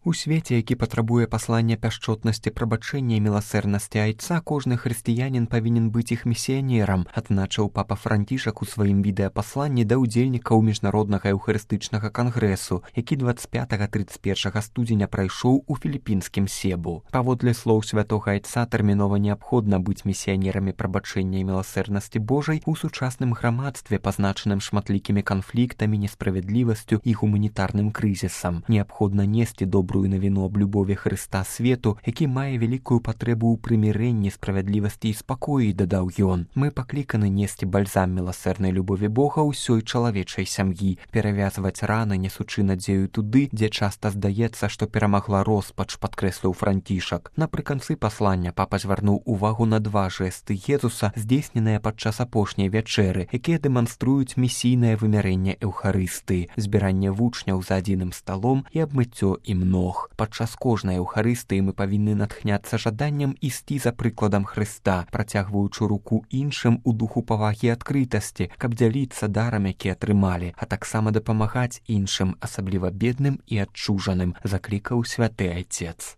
У свеце, які патрабуе паслання пяшчотнасці, прабачэння і міласэрнасці айца, кожны хрысціянін павінен быць іх місіянерам, адзначыў папа Францішак у сваім відэапасланні да ўдзельнікаў міжнароднага эўхарыстычнага кангрэсу, які 25-31 студзеня прайшоў у філіпінскім Себу. Паводле слоў святога айца, тэрмінова неабходна быць місіянерамі прабачэння і міласэрнасці Божай у сучасным грамадстве, пазначаным шматлікімі канфліктамі, несправядлівасцю і гуманітарным крызісам. Неабходна несці добрую навіну аб любові Хрыста свету, які мае вялікую патрэбу ў прымірэнні, справядлівасці і спакоі, дадаў ён. Мы пакліканы несці бальзам міласэрнай любові Бога ўсёй чалавечай сям'і, перавязваць раны, несучы надзею туды, дзе часта здаецца, што перамагла роспач, падкрэсліў Францішак. Напрыканцы паслання папа звярнуў увагу на два жэсты Езуса, здзейсненыя падчас апошняй вячэры, якія дэманструюць місійнае вымярэнне эўхарыстыі, збіранне вучняў за адзіным сталом і абмыццё ім ног. Падчас кожнай эўхарыстыі мы павінны натхняцца жаданнем ісці за прыкладам Хрыста, працягваючы руку іншым у духу павагі і адкрытасці, каб дзяліцца дарам, які атрымалі, а таксама дапамагаць іншым, асабліва бедным і адчужаным, заклікаў святы айцец.